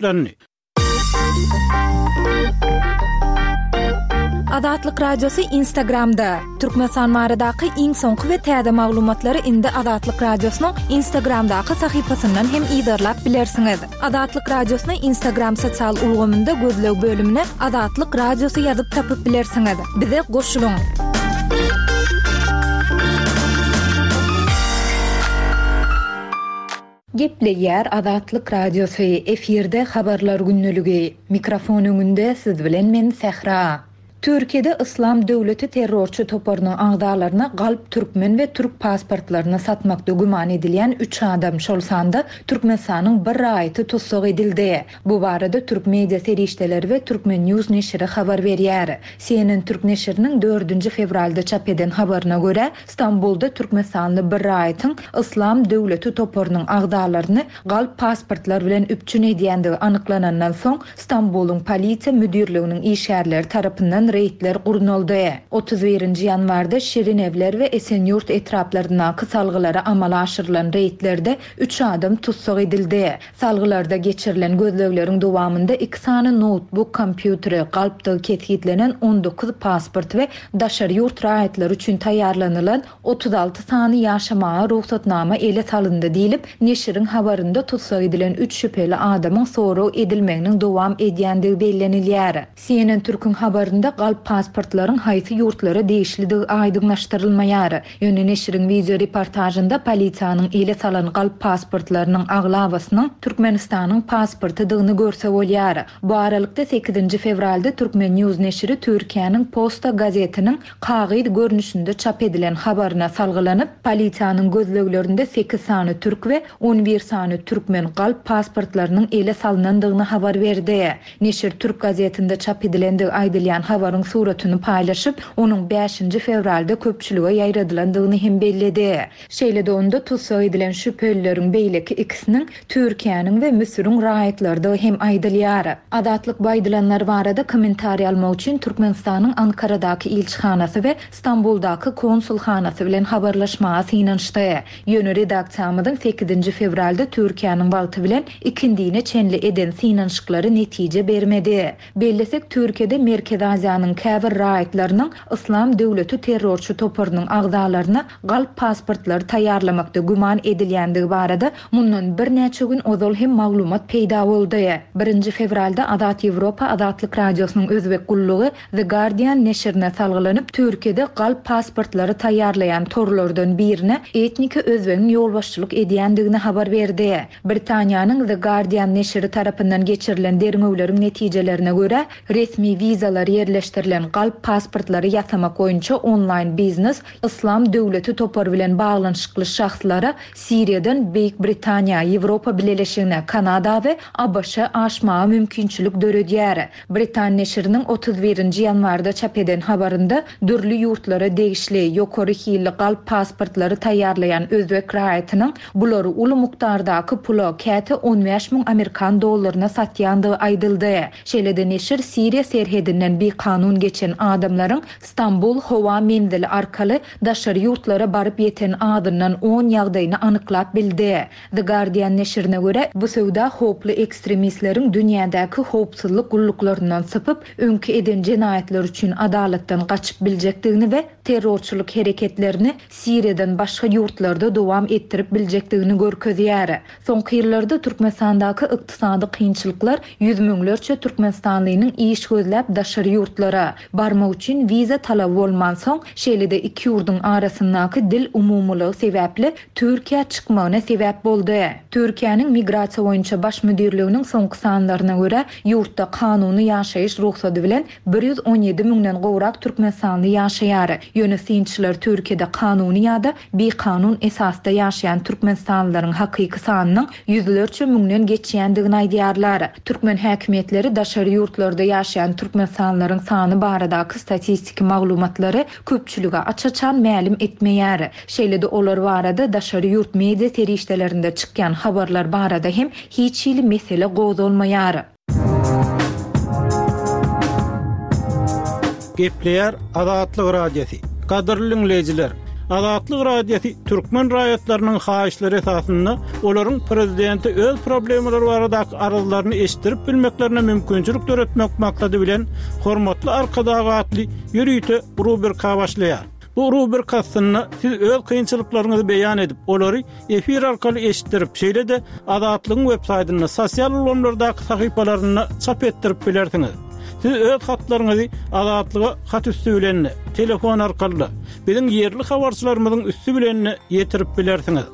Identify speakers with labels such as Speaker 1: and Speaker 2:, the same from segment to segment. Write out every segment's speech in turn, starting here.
Speaker 1: Landy.
Speaker 2: Azatlyk Radiosy Instagramda, Türkmenistan baradaky iň soňky we täze maglumatlary indi Azatlyk Radiosynyň Instagramdaky sahypasyndan hem yzarlap bilersiňiz. Azatlyk Radiosyny Instagram sosial ulgamynda gözleg bölümine Azatlyk Radiosy ýazyp tapyp bilersiňiz. Bize goşulyň!
Speaker 3: Gepleýär Azatlyk Radiosy, efirde Habarlar gündeligi. Mikrofon öňünde siz bilen men Sähra. Türkiýede Yslam döwleti terrorçy toparynyň agzalaryna galp türkmen we türk pasportlaryny satmakda güman edilýän üç adam, şol sanda Türkmenistanyň bir raýaty tussag edildi. Bu barada türk media serişdeleri we Turkmen News neşiri habar berýär. CNN türk neşiriniň dördünji fewralda çap eden habaryna görä, Stambulda türkmenistanly bir raýatyň Yslam döwleti toparynyň agzalaryny galp pasportlar bilen üpjün edýändigi anyklanandan soň, Stambulyň polisiýa müdirliginiň işgärleri tarapyndan reýdler gurnaldy. 31 nji ýanwarda Şirinewler we Esenýurt etraplaryndaky salgylara amala aşyrylan reýdlerde üç adam tussag edildi. Salgylarda geçirilen gözlegleriň dowamynda iki sany noutbuk kompýuteri, galpdygy kesgitlenen 19 pasport we daşary ýurt raýatlary üçin taýýarlanylan 36 sany ýaşamaga rugsatnama ele salyndy diýlip, neşiriň habarynda tussag edilen üç şübheli adamyň sorag edilmeginiň dowam edýändigi bellenilýär. CNN Türküň habarynda galp pasportlaryň haýsy ýurtlara degişlidigi aýdyňlaşdyrylmaýar. Ýöne neşiriň wideo reportažynda polisiýanyň ele salan galp pasportlarynyň aglabasynyň Türkmenistanyň pasportydygyny görse bolýar. Bu aralykda sekizinji fewralda Turkmen News neşiri Türkiýäniň Posta gazetiniň kagyz görnüşinde çap edilen habaryna salgylanyp, polisiýanyň gözleglerinde sekiz sany türk we 11 sany türkmen galp pasportlarynyň ele salnandygyny habar berdi. Neşir türk gazetinde çap edilendigi aýdylýan habaryň suratyny paýlaşyp, onuň bäşinji fewralda köpçülige ýaýradylandygyny hem belledi. Şeýle-de onda tussag edilen şübhelileriň beýleki ikisiniň Türkiýäniň we Müsüriň raýatlarydygy hem aýdylýar. Azatlyk bu aýdylanlar barada kommentariý almak üçin Türkmenistanyň Ankaradaky ilçihanasy we Stambuldaky konsulhanasy bilen habarlaşmaga synanyşdy. Ýöne redaksiýamyzyň sekizinji fewralda Türkiýäniň wagty bilen ikindine çenli eden synanyşyklary netije bermedi. Bellesek, Türkiýede Merkezi Aziýanyň käbir raýatlarynyň Yslam döwleti terrorçy toparynyň agzalaryna galp pasportlary taýýarlamakda güman edilýändigi barada mundan birnäçe gün ozal hem maglumat peýda boldy. Birinji fewralda Azat Ýewropa Azatlyk Radiosynyň özbek gullugy The Guardian neşirine salgylanyp, Türkiýede galp pasportlary taýýarlaýan torlardan birine etniki özbegiň ýolbaşçylyk edýändigini habar berdi. Britaniýanyň The Guardian neşiri tarapyndan geçirilen derňewleriň netijelerine görä, resmi wizalar ýerleşdirilen galp pasportlary ýasamak boýunça onlaýn biznes Yslam döwleti topary bilen baglanyşykly şahslara Siriýadan Beýik Britaniýa, Ýewropa Bileleşigine, Kanada we ABŞ aşmaga mümkinçilik döredýär. Britan neşiriniň 31 nji ýanwarda çap eden habarynda dürli ýurtlara degişli, ýokary hilli galp pasportlary taýýarlaýan özbek raýatynyň bulary uly mukdardaky pula, käte 15 müň amerikan dollaryna satýandygy aýdyldy. Şeýle-de neşir Siriýa serhedinden bikanun geçen adamlaryň Stambul howa menzili arkaly daşary ýurtlara baryp ýeten azyndan on ýagdaýyny anyklap bildi. The Guardian neşirine görä, bu söwda howply ekstremistleriň dünýädäki howpsuzlyk gulluklaryndan sypyp, öňki eden jenaýatlary üçin adalatdan gaçyp biljekdigini we terrorçylyk hereketlerini Siriýadan başga ýurtlarda dowam etdirip biljekdigini görkezýär. Soňky ýyllarda Türkmenistandaky ykdysady kynçylyklar ýüz müňlerçe türkmenistanlynyň iş gözläp daşary ýurtlara barmak üçin wiza talaby bolmansoň, şeýle-de iki ýurduň arasyndaky dil umumylygy sebäpli Türkiýä çykmagyna sebäp boldy. Türkiýäniň Migrasiýa boýunça baş müdirliginiň soňky sanlaryna görä, ýurtda kanuny ýaşaýyş rugsady bilen 117 müňden gowrak türkmenistanly ýaşaýar. Ýöne synçylar Türkiýede kanuny ýa-da bikanun esasda ýaşaýan türkmenistanlylaryň hakyky sanynyň ýüzlerçe müňden geçýändigini aýdýarlar. Türkmen häkimiýetleri daşary ýurtlarda ýaşaýan türkmenistanlylaryň sany baradaky statistiki maglumatlary köpçülige aç-açan mälim etmeýär. Şeýle-de olar barada daşary ýurt media serişdelerinde çykýan habarlar barada hem hiç hili mesele gozgalmaýar.
Speaker 1: Gepleýär Azatlyk Radiosy. Gadyrly diňleýjiler! Azatlyk Radiosy türkmen raýatlarynyň haýyşlary esasynda olaryň prezidente öz problemalary baradaky arzlaryny eşitdirip bilmeklerine mümkinçilik döretmek maksady bilen Hormatly Arkadag atly ýörite rubrika başlaýar. Bu rubrika astynda siz öz kynçylyklaryňyzy beýan edip, olary efir arkaly eşitdirip, şeýle-de Azatlygyň websaýtynda, sosial ulgamlardaky sahypalarynda çap etdirip bilersiňiz. Siz öz hatlaryňyzy Azatlyga hat üsti bilen-de, telefon arkaly-da, biziň ýerli habarçylarymyzyň üsti bilen-de ýetirip bilersiňiz.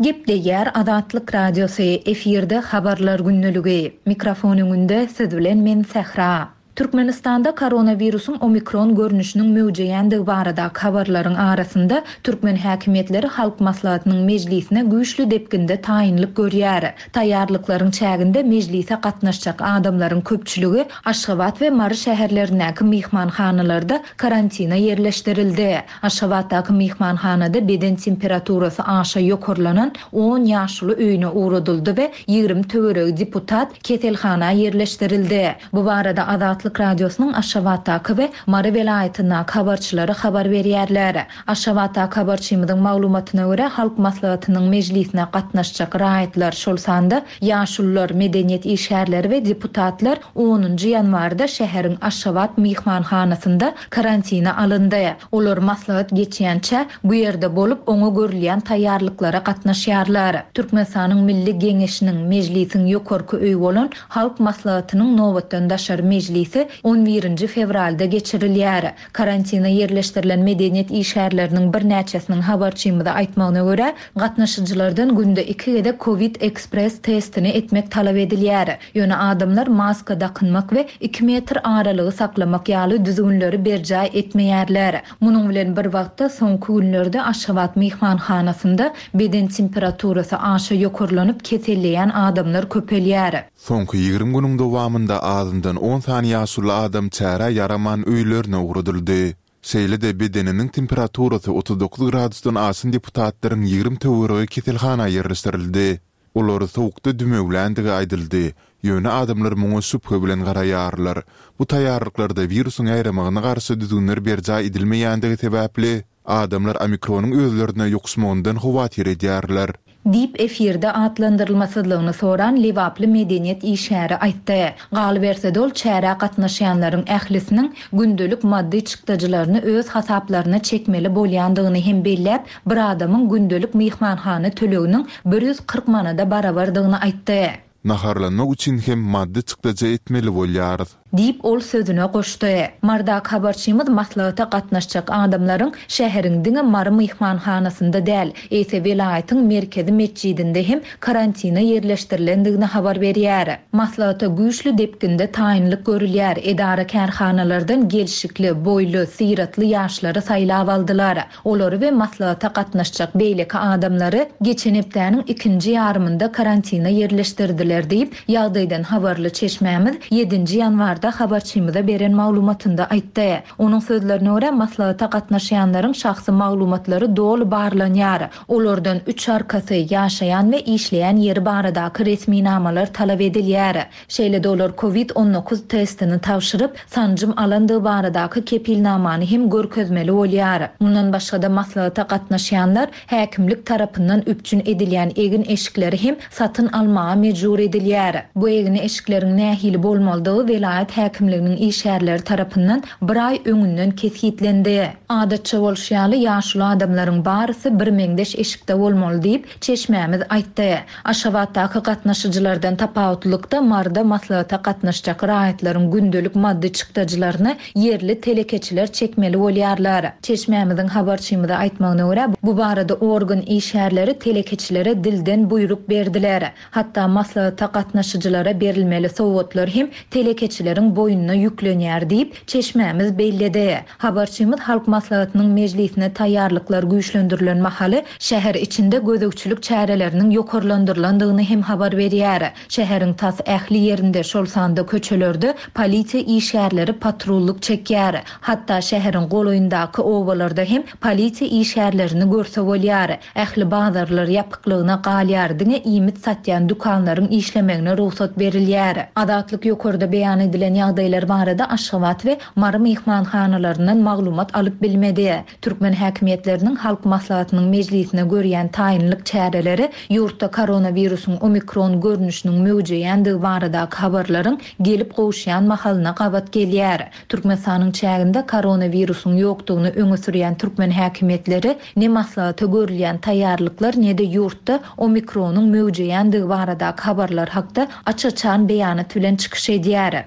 Speaker 3: Gepleýär Azatlyk Radiosy, efirde Habarlar gündeligi. Mikrofon öňünde siz bilen men Sähra. Türkmenistanda koronawirusyň omikron görnüşiniň möwjeýändigi baradaky habarlaryň arasynda, türkmen häkimiýetleri Halk Maslahatynyň mejlisine güýçli depginde taýynlyk görýär. Taýýarlyklaryň çäginde mejlise gatnaşjak adamlaryň köpçüligi Aşgabat we Mary şäherlerindäki myhmanhanalarda karantina ýerleşdirildi. Aşgabatdaky myhmanhanada beden temperaturasy aşa ýokarlanan on ýaşuly öýüne ugradyldy we 20 töweregi deputat keselhana ýerleşdirildi. Bu barada Azatlyk Radiosynyň Aşgabatdaky we Mary welaýatyndaky habarçylary habar berýärler. Aşgabatdaky habarçymyzyň maglumatyna görä, Halk Maslahatynyň mejlisine gatnaşjak raýatlar, şol sanda ýaşulular, medeniýet işgärleri we deputatlar onunjy ýanwarda şäheriň Aşgabat myhmanhanasynda karantina alyndy. Olar maslahat geçýänçä, bu ýerde bolup, oňa görülýän taýýarlyklara gatnaşýarlar. Türkmenistanyň Milli Geňeşiniň, Mejlisiň ýokarky öýi bolan Halk Maslahatynyň nobatdan daşary mejlisi on birinji fewralda geçirilýär. Karantina ýerleşdirilen medeniýet işgärleriniň birnäçesiniň habarçymyza aýtmagyna görä, gatnaşyjylardan günde iki gezek Covid Express testini etmek talap edilýär. Ýöne adamlar maska dakynmak we iki metr aralygy saklamak ýaly düzgünleri berjaý etmeýärler. Munuň bilen bir wagtda, soňky günlerde Aşgabat myhmanhanasynda beden temperaturasy aşa ýokarlanyp keselleýän adamlar köpelýär.
Speaker 4: Soňky 20 günüň dowamynda azyndan on sany ýaşuly adam çärä ýaraman öýlerine ugradyldy. Şeýle-de bedeniniň temperaturasy 39 gradusdan aşan deputatlaryň 20 töweregi keselhana ýerleşdirildi. Olary sowukda dümewländigi aýdyldy, ýöne adamlar muňa şübhe bilen garaýarlar. Bu taýýarlyklarda wirusyň ýaýramagyna garşy düzgünler berjaý edilmeýändigi sebäpli, adamlar omikronyň özlerine ýokuşmagyndan howatyr edýärler.
Speaker 3: Diýip, efirde atlandyrylmasyzlygyny soran lebaply medeniýet işgäri aýtdy. Galyberse-de, ol çärä gatnaşýanlaryň ählisiniň gündelik maddy çykdajylaryny öz hasaplaryna çekmeli bolýandygyny hem belläp, bir adamyň gündelik myhmanhana töleginiň 140 manada barabardygyny aýtdy.
Speaker 4: Naharlanmak üçin hem maddy çykdajy etmeli bolýarys.
Speaker 3: Diýip, ol sözüne goşdy. Mardaky habarçymyz maslahata gatnaşjak adamlaryň şäheriň diňe Mary myhmanhanasynda däl, eýse welaýatyň merkezi metjidinde hem karantina ýerleşdirilendigini habar berýär. Maslahata güýçli depginde taýynlyk görülýär, edara-kärhanalardan gelşikli, boýly, syratly ýaşlary saýlap aldylar. Olary we maslahata gatnaşjak beýleki adamlary geçen hepdäniň ikinji ýarymynda karantina ýerleşdirdiler diýip, ýagdaýdan habarly çeşmämiz ýedinji ýanwarda habarçymyza beren maglumatynda aýtdy. Onuň sözlerine görä, maslahata gatnaşýanlaryň şahsy maglumatlary doly barlanýar. Olardan üç arkasy, ýaşaýan we işleýän ýeri baradaky resminamalar talap edilýär. Şeýle-de olar Covid 19 testini tabşyryp, sanjym alandygy baradaky kepilnamany hem görkezmeli bolýar. Mundan başga-da maslahata gatnaşýanlar häkimlik tarapyndan üpjün edilýän egin-eşikleri hem satyn almaga mejbur edilýär. Bu egin-eşikleriň nähili bolmalydygy welaýat häkimliginiň işgärleri tarapyndan bir aý öňünden kesgitlendi. Adatça bolşy ýaly, ýaşuly adamlaryň barysy birmeňzeş eşikde bolmaly diýip, çeşmämiz aýtdy. Aşgabatdaky gatnaşyjylardan tapawutlylykda, Maryda maslahata gatnaşjak raýatlaryň gündelik maddy çykdajylaryny ýerli telekeçiler çekmeli bolýarlar. Çeşmämiziň habarçymyza aýtmagyna görä, bu barada organ işgärleri telekeçilere dilden buýruk berdiler. Hatda maslahata gatnaşyjylara berilmeli sowgatlar hem telekeçileriň boýnuna ýüklenýär diýip, çeşmämiz belledi. Habarçymyz Halk Maslahatynyň mejlisine taýýarlyklar güýçlendirilen mahaly şäher içinde gözegçilik çäreleriniň ýokarlandyrylandygyny hem habar berýär. Şäheriň tas ähli ýerinde, şol sanda köçelerde polisiýa işgärleri patrullyk çekýär. Hatda şäheriň golaýyndaky obalarda hem polisiýa işgärlerini görse bolýar. Ähli bazarlar ýapyklygyna galýar, diňe iýmit satýan dükanlaryň işlemegine rugsat berilýär. Azatlyk ýokarda beýan edilen. edilen ýagdaýlar barada Aşgabat we Mary myhmanhanalaryndan maglumat alyp bilmedi. Türkmen häkimiýetleriniň Halk Maslahatynyň mejlisine görýän taýynlyk çäreleri ýurtda koronawirusyň omikron görnüşiniň möwjeýändigi baradaky habarlaryň gelip gowuşýan mahalyna gabat gelýär. Türkmenistanyň çäginde koronawirusyň ýokdugyny öňe sürýän türkmen häkimiýetleri ne maslahata görülýän taýýarlyklar ne-de ýurtda omikronyň möwjeýändigi baradaky habarlar hakda aç-açan beýanat bilen çykyş edýär.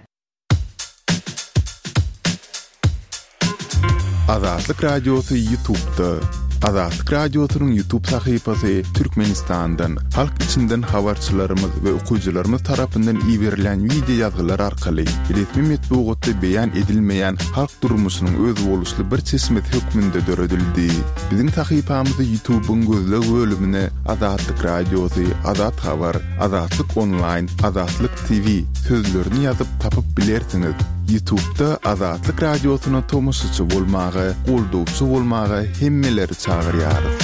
Speaker 4: Azatlyk Radiosy Ýutubda. Azatlyk Radiosynyň Ýutub sahypasy Türkmenistandan, halk içinden habarçylarymyz we okyjylarymyz tarapyndan iberilýän wideo ýazgylar arkaly resmi metbugatda beýan edilmeýän halk durmuşynyň özboluşly bir çeşmesi hökmünde döredildi. Biziň sahypamyzy Ýutubyň gözleg bölümine Azatlyk Radiosy, Azat Habar, Azatlyk Onlaýn, Azatlyk TV sözlerini ýazyp tapyp bilersiňiz. Ýutubda Azatlyk Radiosyna tomaşaçy bolmaga, goldawçy bolmaga hemmeleri çagyrýarys.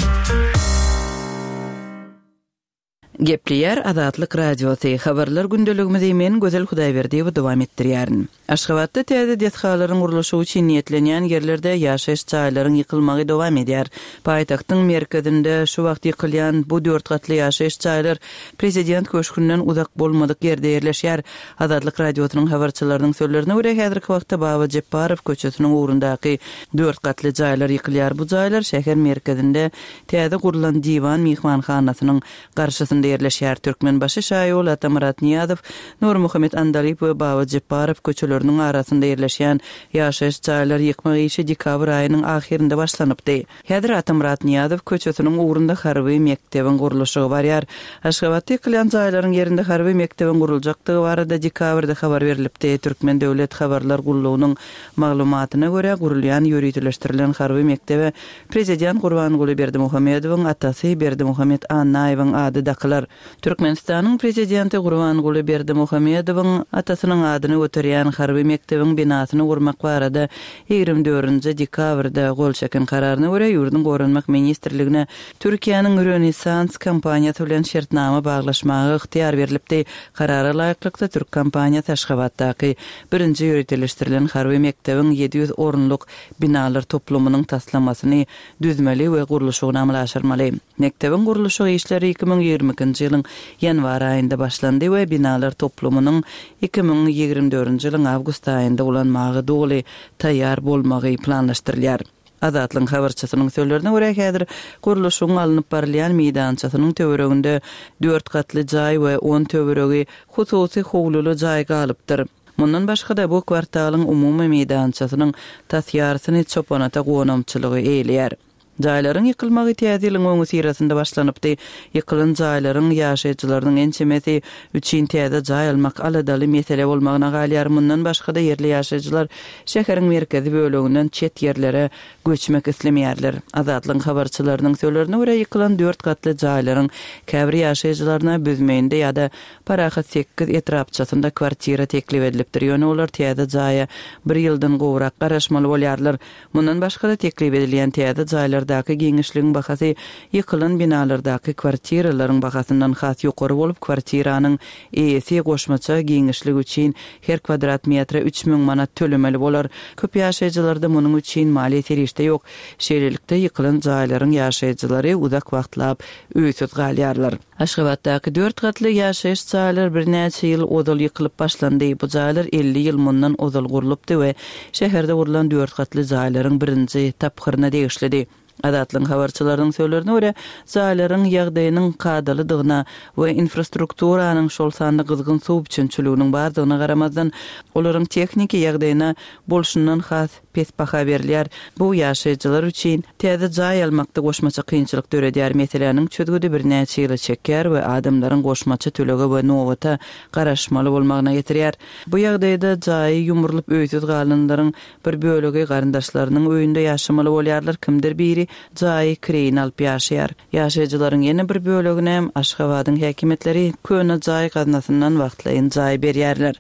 Speaker 5: Gepleýär Azatlyk Radiosy, Habarlar gündeligimizi men Gözel Hudaýberdiýewa dowam etdirýärin. Aşgabatda täze desgalaryň gurluşygy üçin niýetlenýän ýerlerde ýaşaýyş jaýlaryň ýykylmagy dowam edýär. Paýtagtyň merkezinde şu wagt ýykylýan bu dört gatly ýaşaýyş jaýlar Prezident köşgünden uzak bolmadyk ýerde ýerleşýär. Azatlyk Radiosynyň habarçylarynyň sözlerine görä, häzirki wagtda Baba Jepbarow köçesiniň ugrundaky dört gatly jaýlar ýykylýar. Bu jaýlar şäher merkezinde täze gurlan Diwan myhmanhanasynyň garşysynda ýerleşýär. Türkmenbaşy şaýoly Atamyrat Nyýazow, Nurmuhammet Andalyp we Baba Jepbarow köçeleriniň arasynda ýerleşýän ýaşaýyş jaýlary ýykmak işi dekabr aýynyň ahyrynda başlanypdy. Häzir Atamyrat Nyýazow köçesiniň ugrunda harby mekdebiň gurluşygy barýar. Aşgabatda ýykylýan jaýlaryň ýerinde harby mekdebiň guruljakdygy barada dekabrda habar berlipdi. Türkmen döwlet habarlar gullugynyň maglumatyna görä, gurulýan ýöriteleşdirilen harby mekdebe Prezident Gurbanguly Berdimuhamedowyň atasy Berdimuhamet Annaýewiň ady dakylar. Türkmenistanyň Prezidenti Gurbanguly Berdimuhamedowyň atasynyň adyny göterýän harby mekdebiň binasyny gurmak barada 24 dekabrda gol çeken kararyna görä, ýurduň Goranmak ministrligine Türkiýäniň Rönesans kompaniýasy bilen şertnama baglaşmaga ygtyýar berlipdi. Karara laýyklykda, türk kompaniýasy Aşgabatdaky birinji ýöriteleşdirilen harby mekdebiň 700 orunlyk binalar toplumynyň taslamasyny düzmeli we gurluşygyny amala aşyrmaly. Mekdebiň gurluşyk işleri 2022-nji ýylyň ýanwar aýynda başlandy we binalar toplumynyň 2024-nji ýylyň awgust aýynda ulanmaga doly taýýar bolmagy planlaşdyrylýar. Azatlygyň habarçysynyň sözlerine görä, häzir gurluşygyň alnyp barylýan meýdançasynyň töwereginde dört gatly jaý we on töweregi hususy howluly jaý galypdyr. Mundan başga-da, bu kwartalyň umumy meýdançasynyň tas ýarysyny Çopanata gonamçylygy eýeleýär. Jaýlaryň ýykylmagy Täze ýylyň öňüsyrasynda başlanypdy. Ýykylan jaýlaryň ýaşaýjylarynyň ençemesi üçin täze jaý almak aladaly mesele bolmagyna galýar. Mundan başga-da, ýerli ýaşaýjylar şäheriň merkezi böleginden çet ýerlere göçmek islemeýärler. Azatlygyň habarçylarynyň sözlerine görä, ýykylan dört gatly jaýlaryň käbir ýaşaýjylaryna Büzmeýinde ýa-da Parahat sekiz etrapçasynda kwartira teklip edilipdir, ýöne olar täze jaýa bir ýyldan gowrak garaşmaly bolýarlar. Mundan başga-da, teklip edilýän täze jaýlardaky giňişligiň bahasy ýykylan binalardaky kwartiralaryň bahasyndan has ýokary bolup, kwartiranyň eýesi goşmaça giňişlik üçin her kwadrat metre 3000 manat tölemeli bolar. Köp ýaşaýjylarda munuň üçin maliýe serişde ýok. Şeýlelikde, ýykylan jaýlaryň ýaşaýjylary uzak wagtlap öýsüz galýarlar. Aşgabatdaky dört gatly ýaşaýyş jaýlar birnäçe ýyl ozal ýykylyp başlandy. Bu jaýlar 50 ýyl mundan ozal gurlupdy we şäherde gurlan dört gatly jaýlaryň birinji tapgyryna degişlidi. Azatlygyň habarçylarynyň sözlerine görä, jaýlaryň ýagdaýynyň kadalydygyna we infrastrukturanyň, şol sanda gyzgyn suw üpjünçiliginiň bardygyna garamazdan, olaryň tehniki ýagdaýyna bolşundan has pes baha berilýär. Bu ýaşaýjylar üçin täze jaý almakda goşmaça kynçylyk döredýär. Meseläniň çözgüdi birnäçe ýyla çekýär we adamlaryň goşmaça tölege we nobata garaşmaly bolmagyna getirýär. Bu ýagdaýda jaýy ýumrulyp öýsüz galanlaryň bir bölegi garyndaşlarynyň öýünde ýaşamaly bolýarlar, kimdir biri. bölegi jaýy kireýine alyp ýaşaýar. Ýaşaýjylaryň ýene bir bölegine Aşgabadyň häkimiýetleri köne jaý gaznasyndan wagtlaýyn jaý berýärler.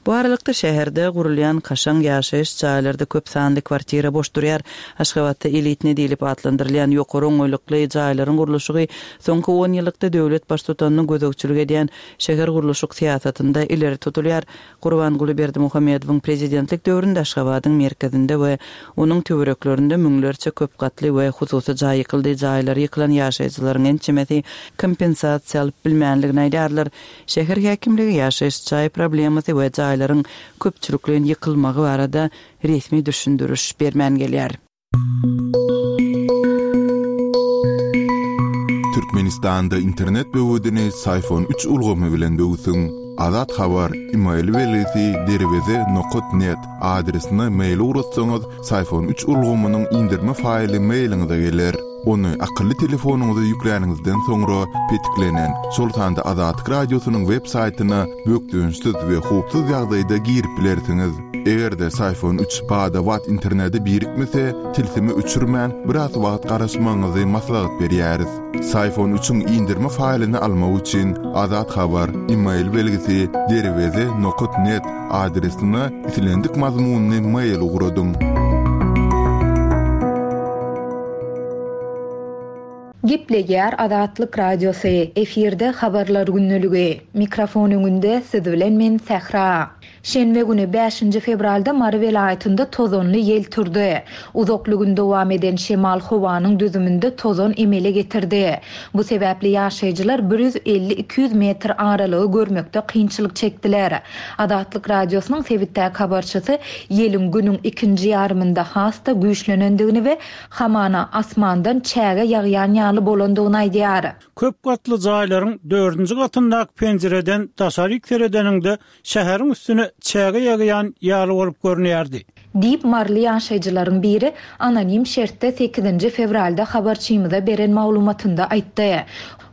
Speaker 5: Bu aralykda şäherde gurulýan kaşaň ýaşaýyş jaýlarda köp sanly kwartira boş durýar. Aşgabatda elitne diýlip atlandyrylýan ýokary oňaýlykly jaýlaryň gurluşygy soňky on ýyllykda döwlet baştutanynyň gözegçilik edýän şähergurluşyk syýasatynda ileri tutulýar. Gurbanguly Berdimuhamedowyň prezidentlik döwründe Aşgabadyň merkezinde we onuň töwereklerinde müňlerçe köp gatly we hususy jaý ýykyldy, jaýlary ýykylan ýaşaýjylaryň ençemesi kompensasiýa alyp bilmänligini aýdýarlar. Şäher häkimligi ýaşaýyş jaý problemasy we jaýlaryň köpçülikleýin ýykylmagy barada resmi düşündiriş bermän gelýär.
Speaker 4: Türkmenistanda internet böwedini Syfon üç ulgamy bilen böwsüň. Azat Habar, email belgisi derweze nokat net adresine mail ugratsaňyz, Syfon üç ulgamynyň indirme faýly mailiňize geler. Ony akylly telefonyňyza ýükläniňizden soňra petiklenen, şol sanda Azatlyk Radiosynyň web saýtyna bökdençsiz we howpsuz ýagdaýda girip bilersiňiz. Eger-de Syfon üç bada-bat internete birikmese, tilsimi öçürmän, biraz wagt garaşmagyňyzy maslahat berýäris. Syfon üçiň indirme faýlyny almak üçin Azat Habar, email belgisi, derweze nokat net adresine islendik mazmunly mail ugradyň.
Speaker 3: Gepleýär Azatlyk Radiosy, efirde Habarlar gündeligi. Mikrofon öňünde siz bilen men Sähra. Şenbe güni, bäşinji fewralda Mary welaýatynda tozanly ýel turdy. Uzakly gün dowam eden şemal howanyň düzüminde tozan emele getirdi. Bu sebäpli ýaşaýjylar bir 150-200 metr aralygy görmekde kynçylyk çekdiler. Azatlyk Radiosynyň sebitdäki habarçysy ýeliň günüň ikinji ýarymynda has-da güýçlenendigini we hamana asmandan çäge ýagýan ýaly bolandygyny aýdýar.
Speaker 1: Köp gatly jaýlaryň dördünji gatyndaky penjireden daşaryk seredeniňde şäheriň üstüne çäge ýagýan ýaly bolup görünýärdi.
Speaker 3: Diýip, maryly ýaşaýjylaryň biri anonim şertde sekizinji fewralda habarçymyza beren maglumatynda aýtdy.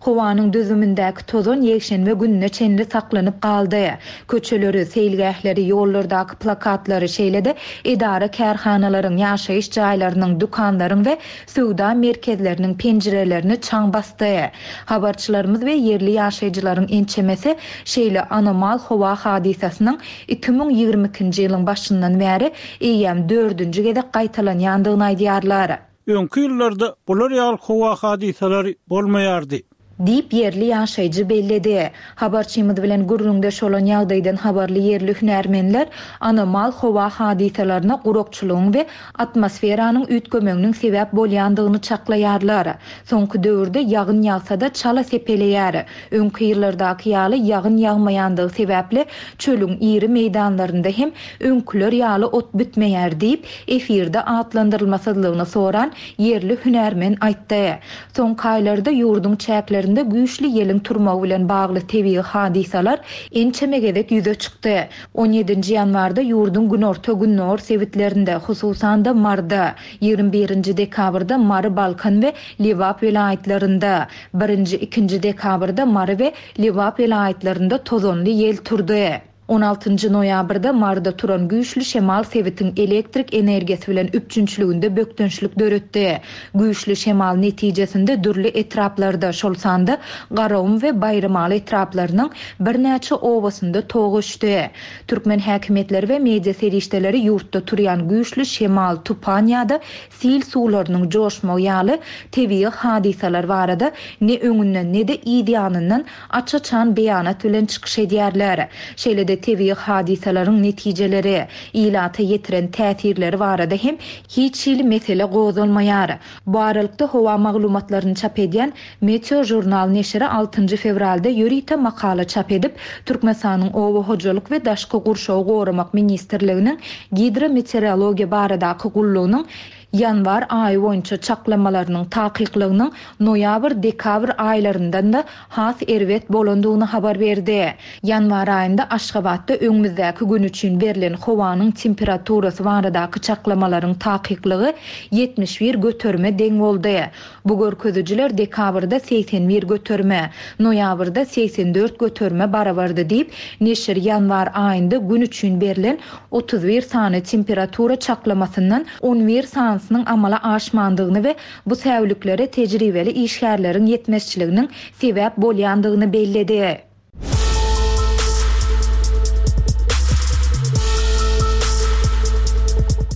Speaker 3: Howanyň düzümindäki tozan ýekşenbe gününe çenli saklanyp galdy. Köçeleri, seýilgähleri, ýollardaky plakatlary, şeýle-de edara-kärhanalaryň, ýaşaýyş jaýlarynyň, dükanlaryň we söwda merkezleriniň penjirelerini çaň basdy. Habarçylarymyz we ýerli ýaşaýjylaryň ençemesi şeýle anomal howa hadysasynyň 2022-nji ýylyň başyndan bäri eýýäm dördünji gezek gaýtalanýandygyny aýdýarlar.
Speaker 1: Öňki ýyllarda bular ýaly howa hadysalary bolmaýardy.
Speaker 3: Diýip, ýerli ýaşaýjy belledi. Habarçymyz bilen gürrüňdeş bolan ýagdaýdan habarly ýerli hünärmenler anomal howa hadysalaryna gurakçylygyň we atmosferanyň üýtgemeginiň sebäp bolýandygyny çaklaýarlar. Soňky döwürde ýagyn ýagsa-da çala sepeleýär. Öňki ýyllardaky ýaly ýagyn ýagmaýandygy sebäpli çölüň iri meýdanlarynda hem öňküler ýaly ot bitmeýär diýip, efirde atlandyrylmasyzlygyny soran ýerli hünärmen aýtdy. Soňky aýlarda ýurduň çäklerinde güýçli ýeliň turmagy bilen bagly tebigy hadysalar ençeme gezek ýüze çykdy. On ýedinji ýanwarda ýurduň günorta-gündogar sebitlerinde, hususan-da, Maryda, 21 nji dekabrda Mary, Balkan we Lebap welaýatlarynda, birinji, ikinji dekabrda Mary we Lebap welaýatlarynda tozanly ýel turdy. On altynjy noýabrda Maryda turan güýçli şemal sebitiň elektrik energiýasy bilen üpjünçiliginde bökdençlik döretdi. Güýçli şemal netijesinde dürli etraplarda, şol sanda Garagum we Baýramaly etraplarynyň birnäçe obasynda tok öçdi. Türkmen häkimiýetleri we media serişdeleri ýurtda turýan güýçli şemal, tupan ýa-da sil suwlarynyň joşmagy ýaly tebigy hadysalar barada ne öňünden, ne-de yz ýanyndan aç-açan beýanat bilen çykyş edýärler. Şeýle-de tebigy hadysalaryň netijeleri, ilata ýetiren täsirleri barada hem hiç hili mesele gozgalmaýar. Bu aralykda howa maglumatlaryny çap edýän Meteožurnal neşiri altynjy fewralda ýörite makala çap edip, Türkmenistanyň Oba hojalyk we daşky gurşawy goramak ministrliginiň Gidrometeorologiýa baradaky gullugynyň ýanwar aýy boýunça çaklamalarynyň takyklygynyň noýabr-dekabr aýlaryndan-da has erbet bolandygyny habar berdi. Ýanwar aýynda Aşgabatda öňümizdäki gün üçin berlen howanyň temperaturasy baradaky çaklamalaryň takyklygy 71 göterime deň boldy. Bu görkezijiler dekabrda 81 göterime, noýabrda 84 göterime barabardy diýip, neşir ýanwar aýynda gün üçin berlen 31 sany temperatura çaklamasyndan 11 sanysynyň. balansynyň amala aşmandygyny we bu säwliklere tejribeli işgärleriň ýetmezçiliginiň sebäp bolýandygyny belledi.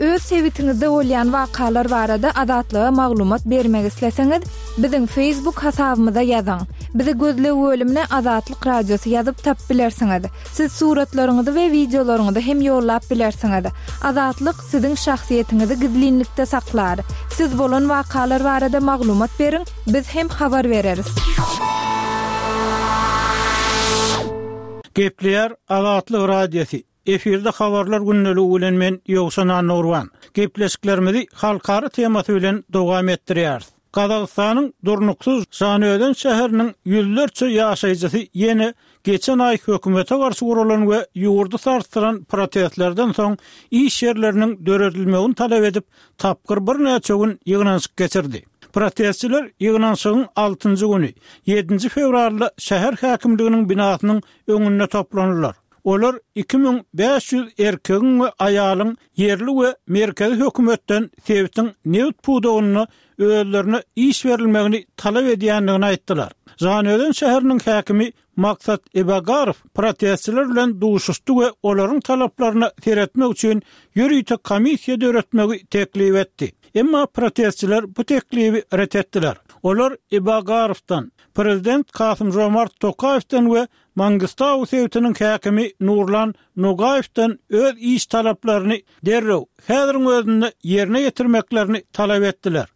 Speaker 2: Öz sebitiňizde bolýan wakalar barada Azatlyga maglumat bermek isleseňiz, biziň Facebook hasabymyza ýazyň. Bizi gözleg bölümine Azatlyk Radiosy ýazyp tapyp bilersiňiz. Siz suratlaryňyzy we wideolaryňyzy hem ýollap bilersiňiz. Azatlyk siziň şahsyýetiňizi gizlinlikde saklar. Siz bolan wakalar barada maglumat beriň, biz hem habar bereris.
Speaker 1: Gepleýär Azatlyk Radiosy, efirde habarlar gündeligi bilen men Ýowşan Annagurban. Gepleşiklerimizi halkara temasy bilen dowam etdirýäris. Gazagystanyň durnuksyz Žanaözen şäheriniň ýüzlerçe ýaşaýjysy ýene geçen aý hökümete garşy guralan we ýurdy sarsdyran protestlerden soň iş ýerleriniň döredilmegini talap edip, tapgyr birnäçe gün ýygnanyşyk geçirdi. Protestçiler ýygnanyşygyň altynjy güni, ýedinji fewralda şäher häkimliginiň binasynyň öňünde toplandylar. Olar 2500 erkegiň we aýalyň ýerli we merkezi hökümetden sebitiň nebit pudagynda özlerine iş berilmegini talap edýändigini aýtdylar. Žanaözen şäheriniň häkimi Maksat Ibagarow protestçiler bilen duşuşdy we olaryň talaplaryna seretmek üçin ýörite komissiýa döretmegi teklip etdi. Emma protestçiler bu teklibi ret etdiler. Olar Ibagarowdan, prezident Kasym-Žomart Tokaýewden we Mangistau sebitiniň häkimi Nurlan Nogaýewden öz iş talaplaryny derrew, häziriň özünde ýerine ýetirmeklerini talap etdiler.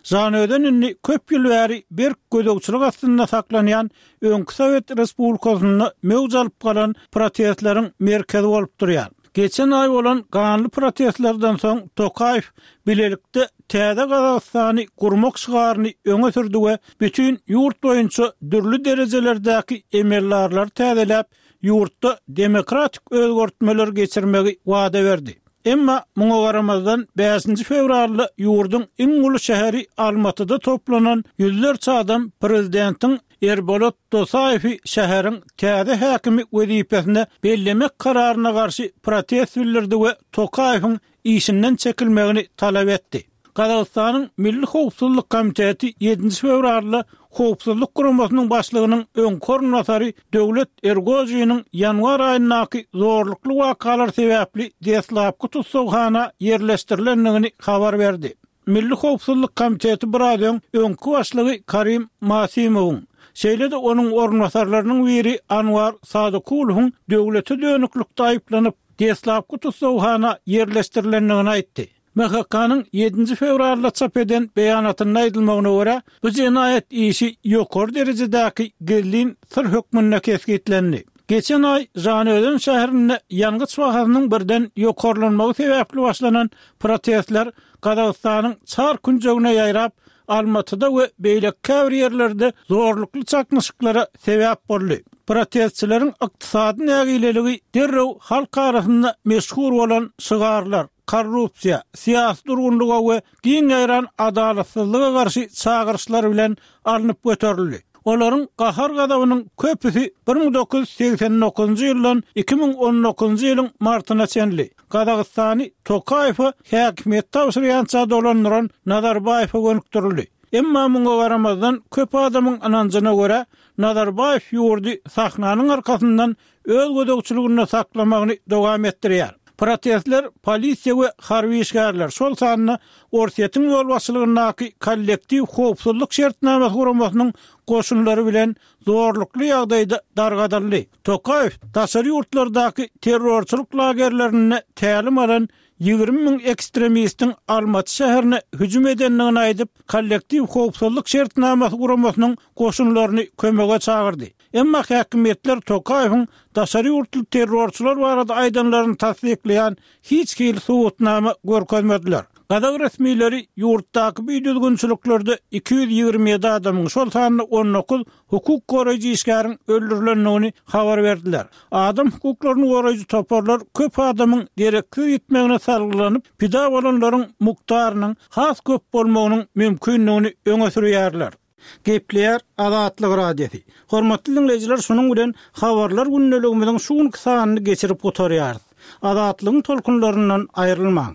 Speaker 1: Žanaözen indi köp ýyl bäri berk gözegçilik astynda saklanýan öňki sowet respublikasynda möwç alyp galan protestleriň merkezi bolup durýar. Geçen aý bolan ganly protestlerden soň Tokaýew bilelikde Täze Gazagystany gurmak şygaryny öňe sürdi we bütin ýurt boýunça dürli derejelerdäki emeldarlary täzeläp, ýurtda demokratik özgertmeler geçirmegi wada berdi. Emma muňa garamazdan, bäşinji fewralda ýurduň iň uly şäheri Almatyda toplanan ýüzlerçe adam prezidentiň Erbolat Dosaýewi şäheriň täze häkimi wezipesine bellemek kararyna garşy protest bildirdi we Tokaýewiň işinden çekilmegini talap etdi. Gazagystanyň Milli howpsuzlyk komiteti ýedinji fewralda Howpsuzlyk guramasynyň başlygynyň öňki orunbasary Döwlet Ergojiniň ýanwar aýyndaky zorlukly wakalar sebäpli deslapky tussaghana ýerleşdirilendigini habar berdi. Milli howpsuzlyk komiteti biraz öň öňki başlygy Karim Masimowyň, şeýle-de onuň orunbasarlarynyň biri Anwar Sadykulowyň döwlete dönüklikde aýyplanyp, deslapky tussaghana ýerleşdirilendigini aýtdy. MHK-nyň ýedinji fewralda çap eden beýanatynda aýdylmagyna görä, bu jenaýat işi ýokary derejedäki gizlin syr hökmünde kesgitlendi. Geçen aý Žanaözen şäherinde ýangyç bahasynyň birden ýokarlanmagy sebäpli başlanan protestler Gazagystanyň çar künjegine ýaýrap, Almatyda we beýleki käbir ýerlerde zorlukly çaknyşyklara sebäp boldy. Protestçileriň ykdysady nägileligi derrew halk arasynda meşhur bolan şygarlar, korrupsiýa, syýasy durgunlyga we giň ýaýran adalatsyzlyga garşy çagyryşlar bilen alnyp göterildi. Olaryň gahar-gazabynyň köpüsi 1989-njy ýyldan 2019-njy ýylyň martyna çenli Gazagystany Tokaýewe häkimiýeti tabşyrýança dolandyran Nazarbaýewe gönükdirildi. Emma muňa garamazdan, köp adamyň ynanjyna görä, Nazarbaýew ýurdy sahnanyň arkasyndan öz gözegçiliginde saklamagyny dowam etdirýär. Protestler polisiýa we harby işgärler, şol sanda Orsýetiň ýolbaşçylygyndaky Kollektiw howpsuzlyk şertnamasy guramasynyň goşunlary bilen zorlukly ýagdaýda dargadyldy. Tokaýew daşary ýurtlardaky terrorçylyk lagerlerinde tälim alan 20 müň ekstremistiň Almaty şäherine hüjüm edendigini aýdyp, Kollektiw howpsuzlyk şertnamasy guramasynyň goşunlaryny kömege çagyrdy. Emma häkimiýetler Tokaýewiň daşary ýurtly terrorçylar barada aýdanlaryny tassyklaýan hiç hili subutnama görkezmediler. Gazak resmileri ýurtdaky bidüzgünçiliklerde 227 adamyň, şol sanda 19 hukuk goraýjy işgäriň öldürilendigini habar berdiler. Adam hukuklaryny goraýjy toparlar köp adamyň dereksiz ýitmegine salgylanyp, pida bolanlaryň mukdarynyň has köp bolmagynyň mümkindigini öňe sürýärler. Gepleýär Azatlyk Radiosy. Hormatly diňleýjiler şunuň bilen Habarlar gündeligimiziň şu günki sanyny geçirip gutarýarys. Azatlygyň tolkunlaryndan aýrylmaň.